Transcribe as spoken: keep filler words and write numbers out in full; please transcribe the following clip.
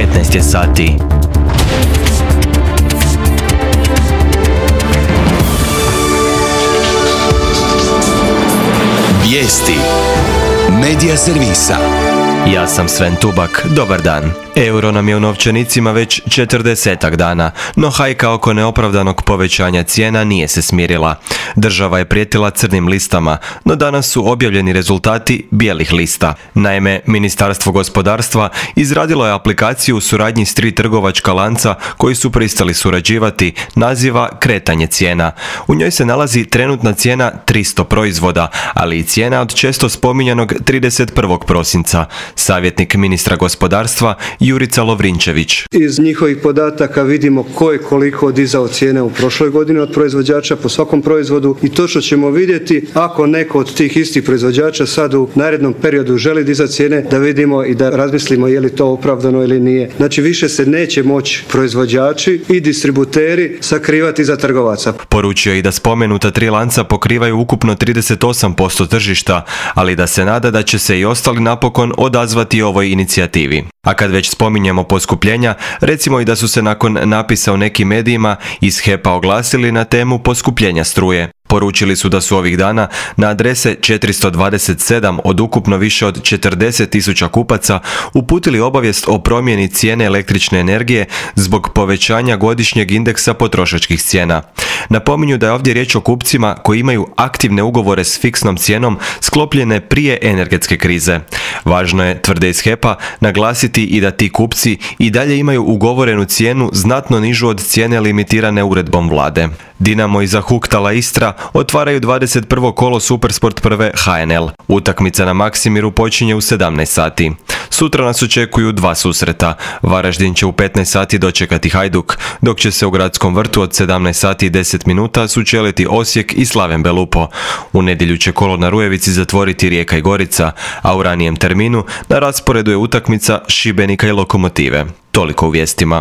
devetnaest je sati. Vijesti Medija servisa. Ja sam Sven Tubak, dobar dan. Euro nam je u novčanicima već četrdesetak dana, no hajka oko neopravdanog povećanja cijena nije se smirila. Država je prijetila crnim listama, no danas su objavljeni rezultati bijelih lista. Naime, Ministarstvo gospodarstva izradilo je aplikaciju u suradnji s tri trgovačka lanca koji su pristali surađivati, naziva Kretanje cijena. U njoj se nalazi trenutna cijena tristo proizvoda, ali i cijena od često spominjanog trideset prvog prosinca. Savjetnik ministra gospodarstva Jurica Lovrinčević. Iz njihovih podataka vidimo ko je koliko dizao cijene u prošloj godini od proizvođača po svakom proizvodu i točno ćemo vidjeti ako neko od tih istih proizvođača sad u narednom periodu želi dizati cijene, da vidimo i da razmislimo je li to opravdano ili nije. Znači više se neće moći proizvođači i distributeri sakrivati za trgovaca. Poručio i da spomenuta tri lanca pokrivaju ukupno trideset osam posto tržišta, ali da se nada da će se i ostali napokon odazvati ovoj inicijativi. A kad već spominjemo poskupljenja, recimo i da su se nakon napisa u nekim medijima iz H E P-a oglasili na temu poskupljenja struje. Poručili su da su ovih dana na adrese četiristo dvadeset sedam od ukupno više od četrdeset tisuća kupaca uputili obavijest o promjeni cijene električne energije zbog povećanja godišnjeg indeksa potrošačkih cijena. Napominju da je ovdje riječ o kupcima koji imaju aktivne ugovore s fiksnom cijenom sklopljene prije energetske krize. Važno je, tvrde iz H E P-a, naglasiti i da ti kupci i dalje imaju ugovorenu cijenu znatno nižu od cijene limitirane uredbom vlade. Dinamo i Zahuktala Istra otvaraju dvadeset prvo kolo Supersport prve H N L. Utakmica na Maksimiru počinje u sedamnaest sati. Sutra nas očekuju dva susreta. Varaždin će u petnaest sati dočekati Hajduk, dok će se u Gradskom vrtu od sedamnaest sati i deset minuta sučeliti Osijek i Slaven Belupo. U nedjelju će kolo na Rujevici zatvoriti Rijeka i Gorica, a u ranijem terminu na rasporedu je utakmica Šibenika i Lokomotive. Toliko u vijestima.